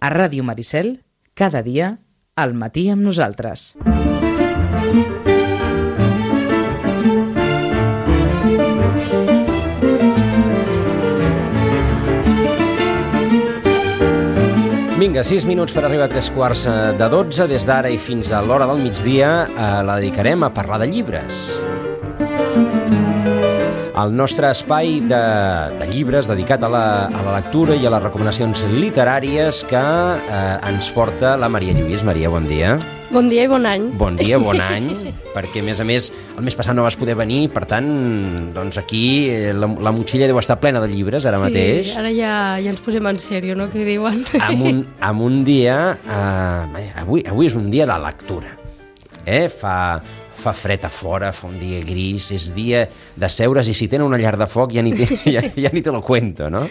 a Ràdio Maricel, cada dia, al matí amb nosaltres. Vinga, 6 minuts per arribar a 3:15. Des d'ara i fins a l'hora del migdia la dedicarem a parlar de llibres. El nostre espai de llibres dedicat a la lectura i a les recomanacions literàries que ens porta la Maria Lluís. Maria, bon dia. Bon dia i bon any. Bon dia, bon any, perquè a més, el mes passat no vas poder venir, per tant, doncs aquí la motxilla deu estar plena de llibres ara mateix. Sí, ara ja ens posem en sèrio, no?, que diuen. Amb un dia... Avui és un dia de lectura. Fa fred a fora, fa un dia gris, és dia de seure's i si tenen una llar de foc ja ni te lo cuento, no?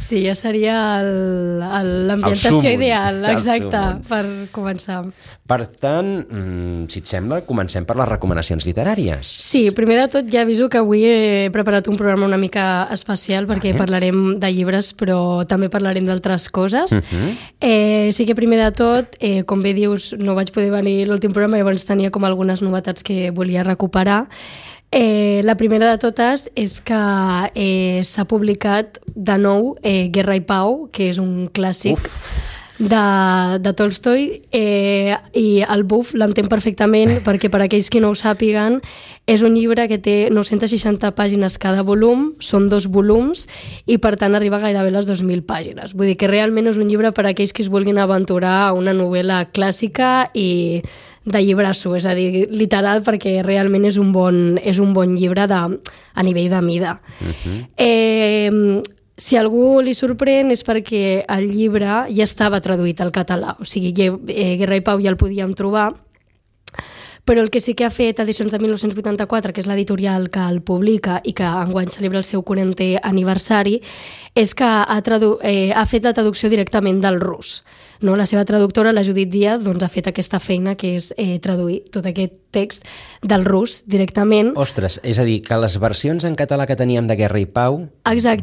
Sí, ja seria l'ambientació ideal, exacte, per començar. Per tant, si et sembla, comencem per les recomanacions literàries. Sí, primer de tot ja aviso que avui he preparat un programa una mica especial perquè parlarem de llibres però també parlarem d'altres coses. Sí que primer de tot, com bé dius, no vaig poder venir l'últim programa, llavors tenia com algunes novetats que volia recuperar. La primera de totes és que s'ha publicat de nou Guerra i Pau, que és un clàssic de Tolstoi, i el buf l'entenc perfectament perquè per aquells que no ho sàpiguen és un llibre que té 960 pàgines cada volum, són 2 volums i per tant arriba gairebé a les 2.000 pàgines. Vull dir que realment és un llibre per a aquells que es vulguin aventurar a una novel·la clàssica i de llibrasso, és a dir, literal, perquè realment és un bon llibre a nivell de mida. Si algú li sorprèn és perquè el llibre ja estava traduït al català, o sigui, Guerra i Pau ja el podíem trobar, però el que sí que ha fet Edicions de 1984, que és l'editorial que el publica i que enguany celebra el seu 40è aniversari, és que ha fet la traducció directament del rus. No? La seva traductora, la Judit Díaz, doncs, ha fet aquesta feina que és traduir tot aquest text del rus directament. Ostres, és a dir, que les versions en català que teníem de Guerra i Pau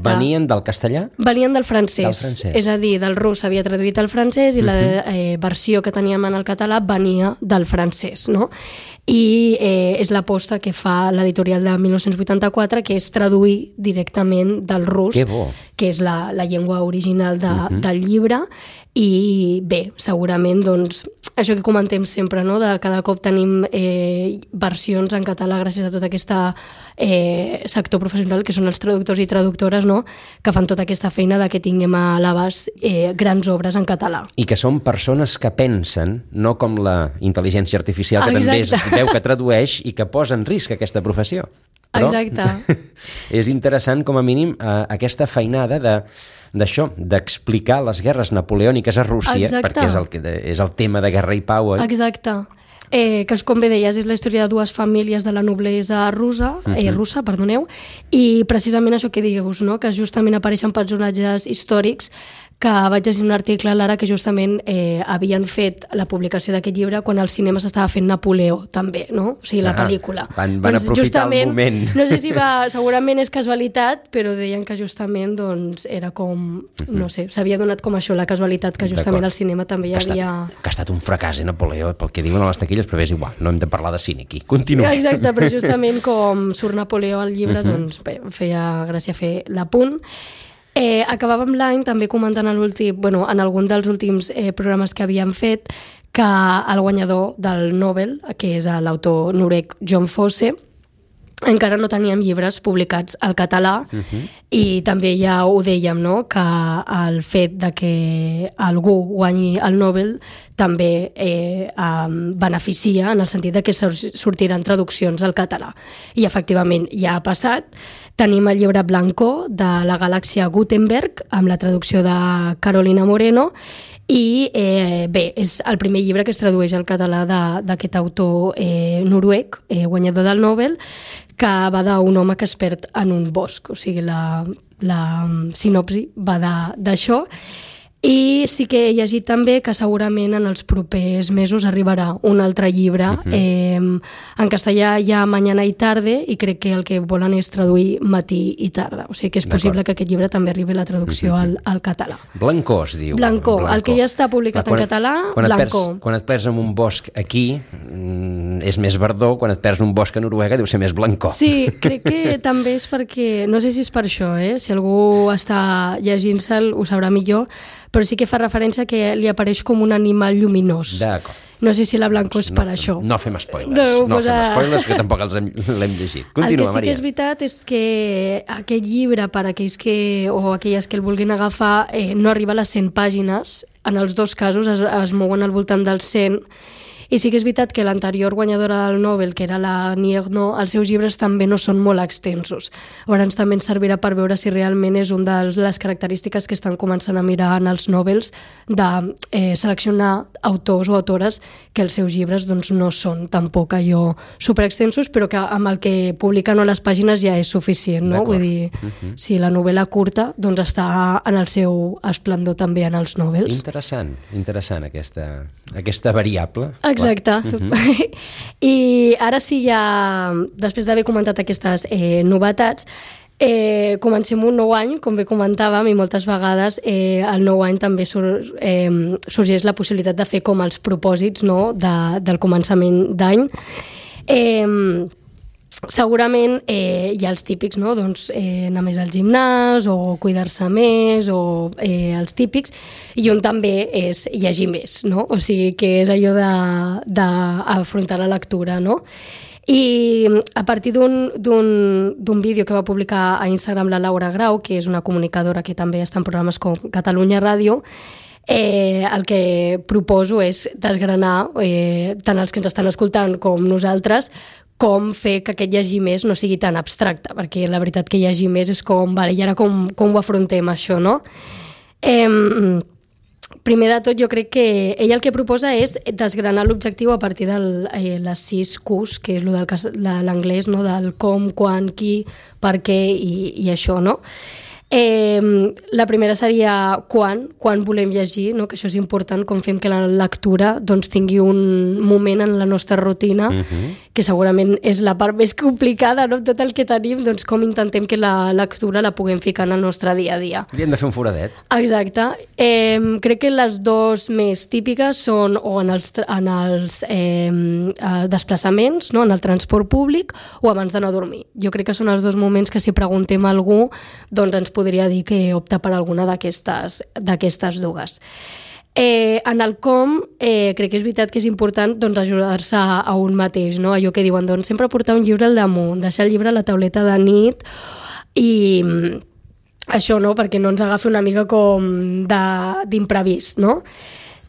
venien del castellà? Venien del francès. És a dir, del rus s'havia traduït al francès i la versió que teníem en el català venia del francès, no? I és l'aposta que fa l'editorial de 1984, que és traduir directament del rus, que és la llengua original del llibre. I bé, segurament, doncs, això que comentem sempre, no?, de cada cop tenim versions en català gràcies a tot aquest sector professional que són els traductors i traductores, no?, que fan tota aquesta feina de que tinguem a l'abast grans obres en català. I que són persones que pensen, no com la intel·ligència artificial que també es veu que tradueix i que posa en risc aquesta professió. Però és interessant, com a mínim, aquesta feinada d'això, d'explicar les guerres napoleòniques a Rússia, perquè és el tema de Guerra i Pau. Exacte. Que, com bé deies, és la història de 2 famílies de la noblesa russa, i precisament això que dius, no?, que justament apareixen personatges històrics, que vaig llegir un article a l'Ara que justament havien fet la publicació d'aquest llibre quan al cinema s'estava fent Napoleó, també, no? O sigui, la pel·lícula. Van aprofitar el moment. No sé si segurament és casualitat, però deien que justament doncs, era com, no sé, s'havia donat com això, la casualitat, que justament al cinema també hi havia... Que ha estat un fracàs, Napoleó, pel que diuen a les taquilles, però és igual, no hem de parlar de cine aquí. Continua. Exacte, però justament com surt Napoleó al llibre, doncs bé, feia gràcia fer l'apunt. Acabàvem l'any també comentant en algun dels últims programes que havíem fet que el guanyador del Nobel, que és l'autor noruec John Fosse, encara no teníem llibres publicats al català i també ja ho dèiem, no?, que el fet de que algú guanyi el Nobel també beneficia en el sentit de que sortiran traduccions al català. I efectivament ja ha passat. Tenim el llibre Blancó de la galàxia Gutenberg amb la traducció de Carolina Moreno i bé, és el primer llibre que es tradueix al català d'aquest autor noruec, guanyador del Nobel, que va d'un home que es perd en un bosc, o sigui, la sinopsi va d'això. I sí que he llegit també que segurament en els propers mesos arribarà un altre llibre. En castellà hi ha Mañana y tarde i crec que el que volen és traduir matí i tarda. O sigui que és possible que aquest llibre també arribi la traducció al català. Blancó es diu. Blancó. El que ja està publicat en català, Blancó. Quan et perds en un bosc aquí és més verdó, quan et perds en un bosc a Noruega deu ser més blancó. Sí, crec que també és perquè, no sé si és per això, si algú està llegint-se'l ho sabrà millor, però sí que fa referència que li apareix com un animal lluminós. D'acord. No sé si la blancó és per això. No fem spoilers. No fem spoilers, que tampoc l'hem llegit. Continua, Maria. El que sí que és veritat és que aquest llibre, per aquells o aquelles que el vulguin agafar, no arriba a les 100 pàgines. En els dos casos es mouen al voltant dels 100. I sí que és veritat que l'anterior guanyadora del Nobel, que era la Niernaux, els seus llibres també no són molt extensos. Llavors també ens servirà per veure si realment és una de les característiques que estan començant a mirar en els Nobels de seleccionar autors o autores que els seus llibres doncs, no són tampoc allò superextensos, però que amb el que publiquen a les pàgines ja és suficient, no? Vull dir, si la novel·la curta doncs està en el seu esplendor també en els Nobels. Interessant aquesta variable. Exacte. I ara sí, ja després d'haver comentat aquestes novetats, comencem un nou any, com bé comentàvem, i moltes vegades el nou any també sorgeix la possibilitat de fer com els propòsits, no?, del començament d'any. Segurament hi ha els típics, no? Doncs anar més al gimnàs o cuidar-se més o els típics, i un també és llegir més, no? O sigui que és allò d'afrontar la lectura, no? I a partir d'un vídeo que va publicar a Instagram la Laura Grau, que és una comunicadora que també està en programes com Catalunya Ràdio, el que proposo és desgranar tant els que ens estan escoltant com nosaltres com fer que aquest llegir més no sigui tan abstracte, perquè la veritat que llegir més és com, vale, i ara com ho afrontem això, no? Primer de tot, jo crec que ell el que proposa és desgranar l'objectiu a partir de les 6 Qs, que és l'anglès, no? Del com, quan, qui, per què i això, no? La primera seria quan volem llegir, no? Que això és important, com fem que la lectura doncs, tingui un moment en la nostra rutina, que segurament és la part més complicada, no? Tot el que tenim, doncs com intentem que la lectura la puguem ficar en el nostre dia a dia. I hem de fer un foradet. Exacte. Crec que les dues més típiques són o en els desplaçaments, no? En el transport públic o abans d'anar a dormir. Jo crec que són els dos moments que si preguntem a algú doncs ens podria dir que opta per alguna d'aquestes dues. En el com, crec que és veritat que és important doncs, ajudar-se a un mateix, no? Allò que diuen, doncs, sempre portar un llibre al damunt, deixar el llibre a la tauleta de nit i això, no? Perquè no ens agafi una mica com d'imprevist, no?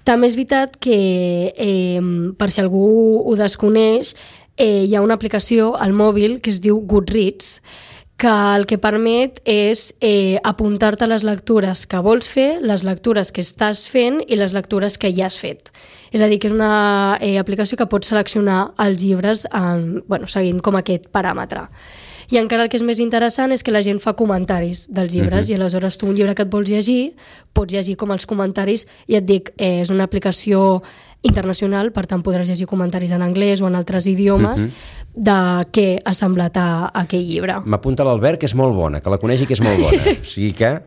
També és veritat que, per si algú ho desconeix, hi ha una aplicació al mòbil que es diu Goodreads, que el que permet és apuntar-te les lectures que vols fer, les lectures que estàs fent i les lectures que ja has fet. És a dir, que és una aplicació que pots seleccionar els llibres seguint com aquest paràmetre. I encara el que és més interessant és que la gent fa comentaris dels llibres i aleshores tu un llibre que et vols llegir, pots llegir com els comentaris i et dic, és una aplicació internacional, per tant podràs llegir comentaris en anglès o en altres idiomes de què ha semblat a aquell llibre. M'apunta l'Albert que és molt bona, que la coneixi que és molt bona. O sigui que...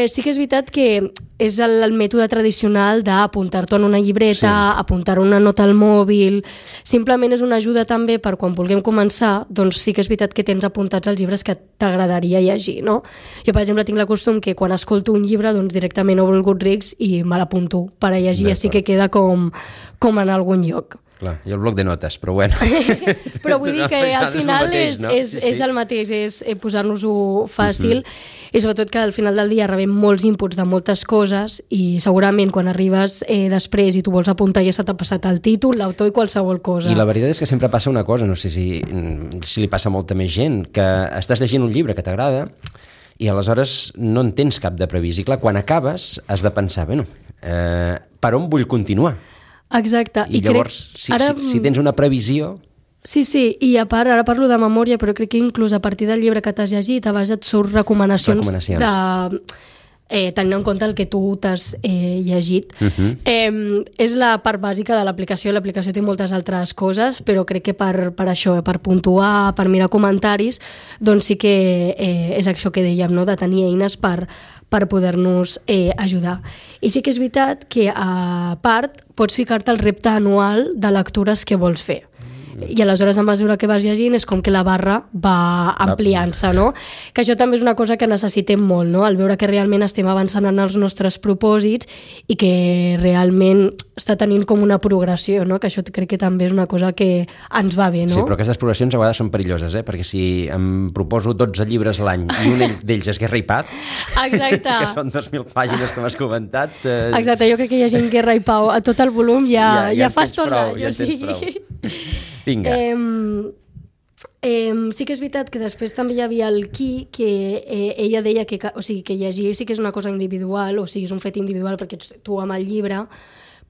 sí que és veritat que és el mètode tradicional d'apuntar-t'ho en una llibreta, apuntar una nota al mòbil. Simplement és una ajuda també per quan vulguem començar, doncs sí que és veritat que tens apuntats els llibres que t'agradaria llegir, no? Jo, per exemple, tinc el costum que quan escolto un llibre, doncs directament obro el Goodreads i me l'apunto per a llegir, així que queda com en algun lloc. Clar, i el bloc de notes, però bueno. Però vull dir que al final és el mateix, és posar-nos-ho fàcil i sobretot que al final del dia rebem molts inputs de moltes coses i segurament quan arribes després i tu vols apuntar ja se t'ha passat el títol, l'autor i qualsevol cosa. I la veritat és que sempre passa una cosa, no sé si li passa a molta més gent, que estàs llegint un llibre que t'agrada i aleshores no en tens cap de previst. I clar, quan acabes has de pensar, per on vull continuar? Exacte. I llavors, si tens una previsió... Sí, i a part, ara parlo de memòria, però crec que inclús a partir del llibre que t'has llegit, a vegades et surt recomanacions. tenint en compte el que tu t'has llegit. És la part bàsica de l'aplicació. L'aplicació té moltes altres coses, però crec que per això, per puntuar, per mirar comentaris, doncs sí que és això que dèiem, no? De tenir eines per poder-nos ajudar. I sí que és veritat que, a part, pots ficar-te el repte anual de lectures que vols fer. I aleshores, a mesura que vas llegint, és com que la barra va ampliant-se, no? Que això també és una cosa que necessitem molt, no? El veure que realment estem avançant en els nostres propòsits i que realment està tenint com una progressió, no? Que això crec que també és una cosa que ens va bé, no? Sí, però aquestes progressions a vegades són perilloses, perquè si em proposo 12 llibres a l'any i un d'ells és Guerra i Paz, exacte, que són 2.000 pàgines, com has comentat... Exacte, jo crec que llegint Guerra i Pau a tot el volum ja fas tot l'any. Ja en tens prou. Vinga. Sí que és veritat que després també hi havia el Qui, que ella deia que llegir sí que és una cosa individual, o sigui, és un fet individual perquè ets tu amb el llibre,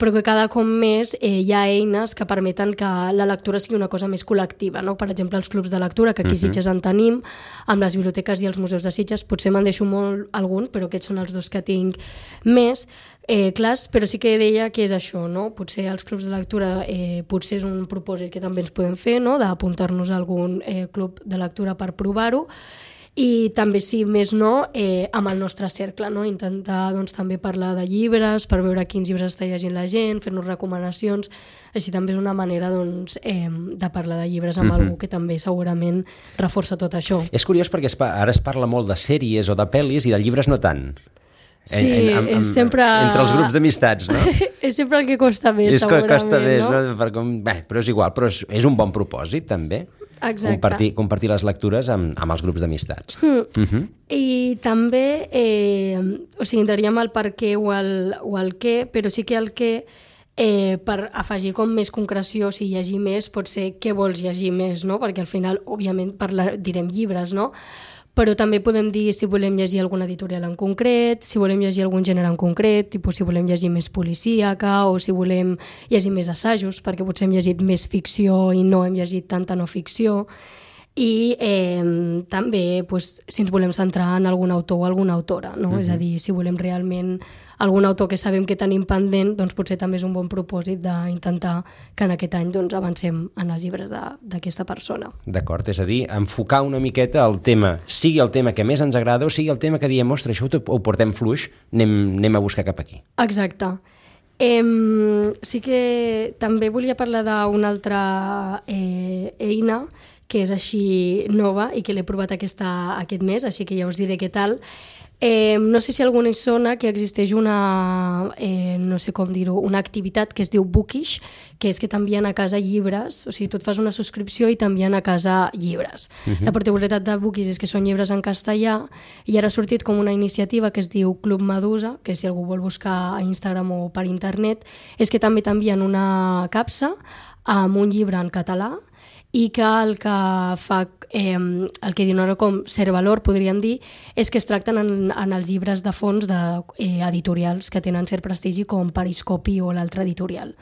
però que cada cop més hi ha eines que permeten que la lectura sigui una cosa més col·lectiva, no? Per exemple, els clubs de lectura, que aquí a Sitges en tenim, amb les biblioteques i els museus de Sitges, potser me'n deixo molt algun, però aquests són els dos que tinc més clars, però sí que deia que és això, no? Potser els clubs de lectura potser és un propòsit que també ens podem fer, no? D'apuntar-nos a algun club de lectura per provar-ho, i també, si més no, amb el nostre cercle, no? Intentar doncs, també parlar de llibres, per veure quins llibres està llegint la gent, fer-nos recomanacions, així també és una manera doncs, de parlar de llibres amb algú que també segurament reforça tot això. És curiós perquè ara es parla molt de sèries o de pel·lis i de llibres no tant. Sí, és sempre... Entre els grups d'amistats, no? És sempre el que costa més, segurament, costa més, no? Però és igual, però és un bon propòsit, també. Exacte. Compartir les lectures amb els grups d'amistats. I també, entraríem al per què o al què, però sí que el què, per afegir com més concreció, si llegir més, pot ser què vols llegir més, no? Perquè al final, òbviament, direm llibres, no? Però també podem dir si volem llegir alguna editorial en concret, si volem llegir algun gènere en concret, tipus si volem llegir més policíaca o si volem llegir més assajos, perquè potser hem llegit més ficció i no hem llegit tanta no ficció. I també si ens volem centrar en algun autor o alguna autora, no? És a dir, si volem realment algun autor que sabem que tenim pendent, doncs potser també és un bon propòsit d'intentar que en aquest any doncs, avancem en els llibres d'aquesta persona. D'acord, és a dir, enfocar una miqueta el tema, sigui el tema que més ens agrada o sigui el tema que diem, ostres, això ho portem fluix, anem a buscar cap aquí. Exacte. Sí que també volia parlar d'una altra eina que és així nova i que l'he provat aquest mes, així que ja us diré què tal. No sé si alguna sona que existeix una, no sé com dir-ho, una activitat que es diu Bookish, que és que t'envien a casa llibres, o sigui, tu et fas una subscripció i t'envien a casa llibres. La particularitat de Bookish és que són llibres en castellà i ara ha sortit com una iniciativa que es diu Club Medusa, que si algú vol buscar a Instagram o per internet, és que també t'envien una capsa amb un llibre en català i que el que fa, el que dona com cert valor, podríem dir, és que es tracten en els llibres de fons d'editorials que tenen cert prestigi com Periscopi o l'altre editorial.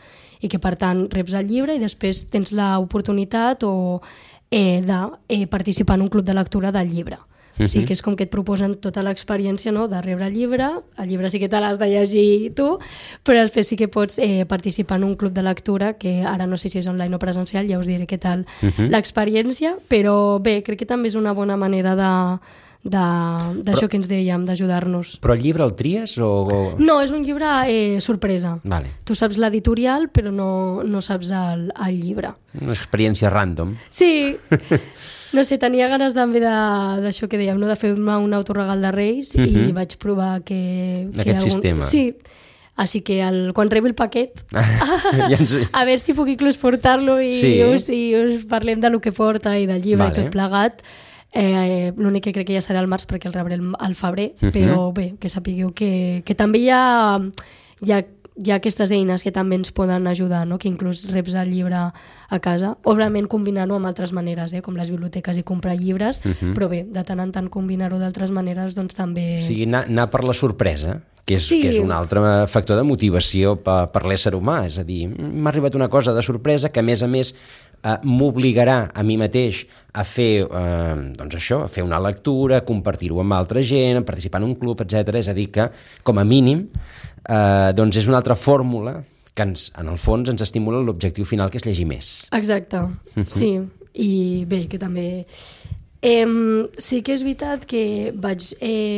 I que, per tant, reps el llibre i després tens l'oportunitat de participar en un club de lectura del llibre. O sigui que és com que et proposen tota l'experiència, no?, de rebre el llibre sí que te l'has de llegir tu, però després sí que pots participar en un club de lectura, que ara no sé si és online o presencial, ja us diré què tal l'experiència, però bé, crec que també és una bona manera d'això que ens dèiem, d'ajudar-nos. Però el llibre el tries o...? No, és un llibre sorpresa. Vale. Tu saps l'editorial, però no saps el llibre. Una experiència random. Sí. No sé, tenia ganes també d'això que dèiem, no? De fer-me un autoregal de Reis i vaig provar aquest sistema. Sí, així que quan rebi el paquet a veure si puc inclús portar-lo i us parlem de lo que porta i del llibre i tot plegat. L'únic que crec que ja serà al març perquè el rebré al febrer, però bé, que sapigueu que també hi ha aquestes eines que també ens poden ajudar, no? Que inclús reps el llibre a casa, òbviament combinant-ho amb altres maneres, com les biblioteques i comprar llibres, però bé, de tant en tant combinar-ho d'altres maneres, doncs també... O sigui, anar per la sorpresa, que és un altre factor de motivació per l'ésser humà, és a dir, m'ha arribat una cosa de sorpresa que a més m'obligarà a mi mateix a fer, doncs això, a fer una lectura, compartir-ho amb altra gent, participar en un club, etc. És a dir que, com a mínim, doncs és una altra fórmula que en el fons ens estimula l'objectiu final, que és llegir més. Exacte, sí. I bé, que també... sí que és veritat que vaig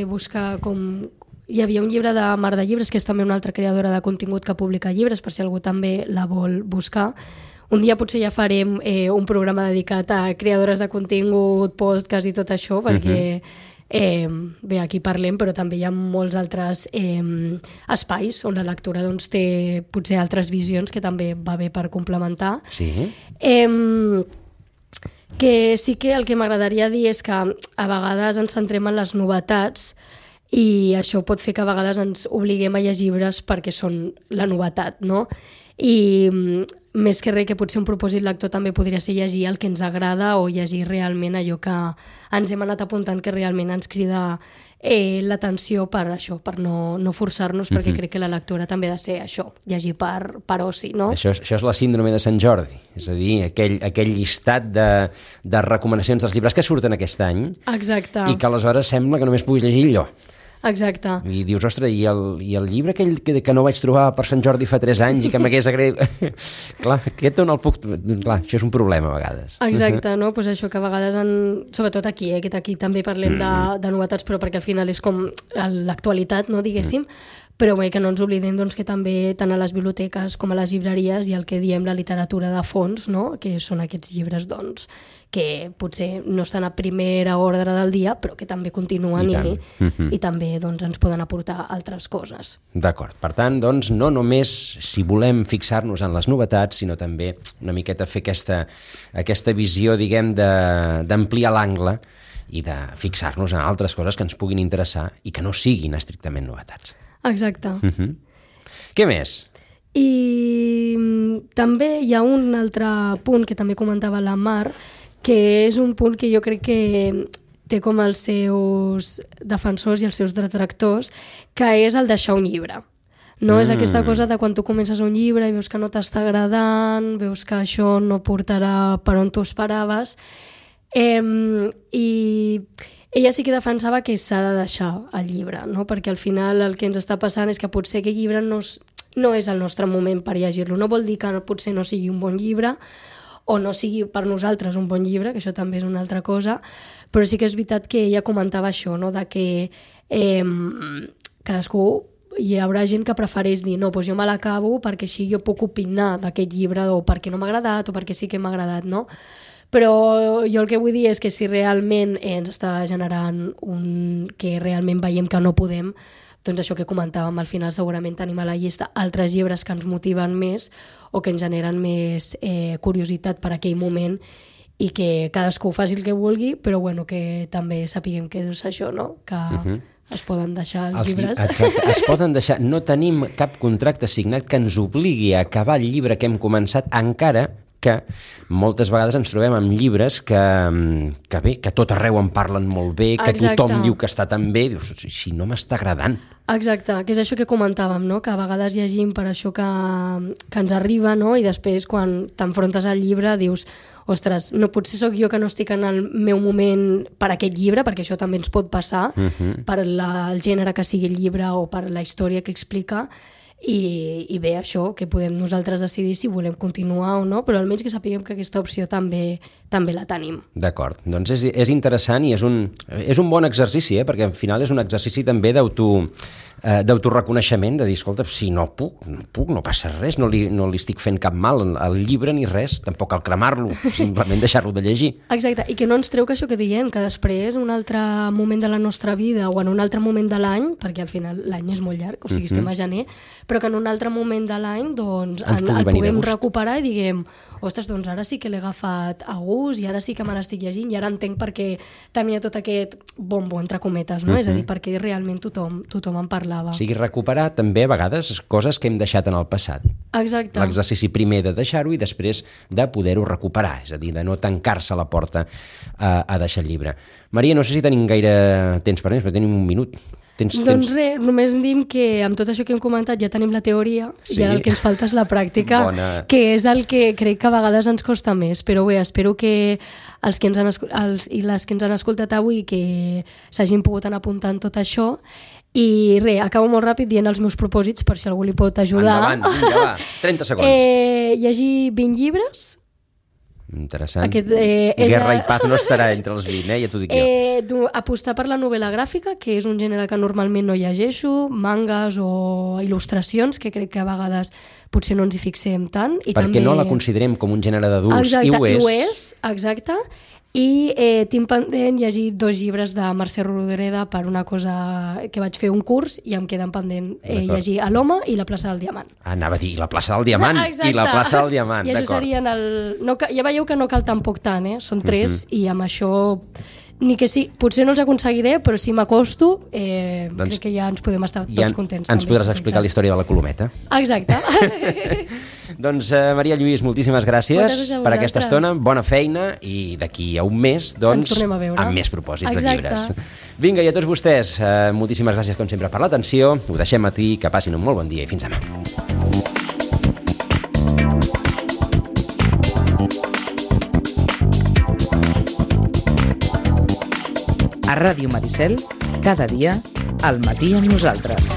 buscar com... Hi havia un llibre de Mar de Llibres, que és també una altra creadora de contingut que publica llibres, per si algú també la vol buscar. Un dia potser ja farem un programa dedicat a creadores de contingut, podcast i tot això, perquè bé, aquí parlem, però també hi ha molts altres espais on la lectura doncs, té potser altres visions que també va bé per complementar. Sí. Que sí que el que m'agradaria dir és que a vegades ens centrem en les novetats i això pot fer que a vegades ens obliguem a llegir llibres perquè són la novetat, no? I més que res, que potser un propòsit lector també podria ser llegir el que ens agrada o llegir realment allò que ens hem anat apuntant que realment ens crida l'atenció per això, per no forçar-nos, perquè crec que la lectura també ha de ser això, llegir per oci, no? Això és la síndrome de Sant Jordi, és a dir, aquell llistat de recomanacions dels llibres que surten aquest any. Exacte. I que aleshores sembla que només puguis llegir allò. Exacte. I dius, ostres, i el llibre aquell que no vaig trobar per Sant Jordi fa 3 anys i que m'hagués agradat... Clar, aquest on el puc... Clar, això és un problema a vegades. Exacte, no? Pues això que a vegades, sobretot aquí, que aquí també parlem de novetats, però perquè al final és com l'actualitat, no, diguéssim, però bé, que no ens oblidem doncs, que també tant a les biblioteques com a les llibreries hi ha el que diem la literatura de fons, no? Que són aquests llibres doncs, que potser no estan a primera ordre del dia, però que també continuen i també doncs, ens poden aportar altres coses. D'acord. Per tant, doncs, no només si volem fixar-nos en les novetats, sinó també una miqueta fer aquesta visió, diguem, d'ampliar l'angle i de fixar-nos en altres coses que ens puguin interessar i que no siguin estrictament novetats. Exacte. Què més? I també hi ha un altre punt que també comentava la Mar, que és un punt que jo crec que té com els seus defensors i els seus detractors, que és el deixar un llibre. No és aquesta cosa de quan tu comences un llibre i veus que no t'està agradant, veus que això no portarà per on tu esperaves, i ella sí que defensava que s'ha de deixar el llibre, no? Perquè al final el que ens està passant és que potser aquest llibre no és el nostre moment per llegir-lo. No vol dir que potser no sigui un bon llibre o no sigui per nosaltres un bon llibre, que això també és una altra cosa, però sí que és veritat que ella comentava això, no? De que cadascú, hi haurà gent que prefereix dir no, doncs jo me l'acabo perquè així jo puc opinar d'aquest llibre o perquè no m'ha agradat o perquè sí que m'ha agradat, no? Però jo el que vull dir és que si realment ens està generant que realment veiem que no podem, doncs això que comentàvem, al final segurament tenim a la llista altres llibres que ens motiven més o que ens generen més curiositat per aquell moment i que cadascú faci el que vulgui, però bueno, que també sapiguem que és això, no? Que es poden deixar els llibres. Exacte, es poden deixar. No tenim cap contracte signat que ens obligui a acabar el llibre que hem començat, encara que moltes vegades ens trobem amb llibres que bé, que tot arreu en parlen molt bé, que tothom diu que està tan bé, dius, si no m'està agradant. Exacte, que és això que comentàvem, no? Que a vegades llegim per això que ens arriba, no? I després quan t'enfrontes al llibre dius, ostres, no, potser sóc jo que no estic en el meu moment per aquest llibre, perquè això també ens pot passar, per el gènere que sigui el llibre o per la història que explica, i bé, això, que podem nosaltres decidir si volem continuar o no, però almenys que sapiguem que aquesta opció també la tenim. D'acord, doncs és interessant i és un bon exercici, perquè al final és un exercici també d'autoreconeixement, de dir, escolta, si no puc, no passa res, no li estic fent cap mal al llibre ni res, tampoc cal cremar-lo, simplement deixar-lo de llegir. Exacte, i que no ens treu que això que diem, que després, un altre moment de la nostra vida o en un altre moment de l'any, perquè al final l'any és molt llarg, o sigui, estem a gener, però que en un altre moment de l'any doncs, el puguem recuperar i diguem, ostres, doncs ara sí que l'he agafat a gust i ara sí que me l'estic llegint i ara entenc per què tenia tot aquest bombo, entre cometes, no? És a dir, perquè realment tothom en parlava. O sigui, recuperar també a vegades coses que hem deixat en el passat. Exacte. L'exercici primer de deixar-ho i després de poder-ho recuperar, és a dir, de no tancar-se la porta a deixar el llibre. Maria, no sé si tenim gaire temps per més, però tenim un minut. Doncs res, només diem que amb tot això que hem comentat ja tenim la teoria i ara el que ens falta és la pràctica, que és el que crec que a vegades ens costa més, però bé, espero que els que ens han i les que ens han escoltat avui que s'hagin pogut anar apuntant tot això. I res, acabo molt ràpid dient els meus propòsits per si algú li pot ajudar. Endavant, vinga, va, 30 segons. Llegir 20 llibres. Interessant. Guerra i paz no estarà entre els 20, ja t'ho dic jo. Apostar per la novel·la gràfica, que és un gènere que normalment no llegeixo, mangas o il·lustracions, que crec que a vegades potser no ens hi fixem tant. Perquè no la considerem com un gènere d'adults, i ho és. Exacte. I tinc pendent llegir 2 llibres de Mercè Rodoreda per una cosa que vaig fer un curs i em queden pendent llegir A l'home i la plaça del Diamant. Anava a dir, la plaça del Diamant. I la plaça del Diamant, d'acord. I això serien ja veieu que no cal tampoc tant, són 3 i amb això ni que sí, potser no els aconseguiré, però si m'acosto crec que ja ens podem estar tots contents. Ens podràs explicar la història de la Colometa. Exacte. Doncs Maria Lluís, moltíssimes gràcies per aquesta estona, bona feina i d'aquí a un mes doncs, amb més propòsits de llibres. Vinga, i a tots vostès, moltíssimes gràcies com sempre per l'atenció, ho deixem a ti, que passin un molt bon dia i fins demà. A Ràdio Maricel, cada dia, al matí amb nosaltres.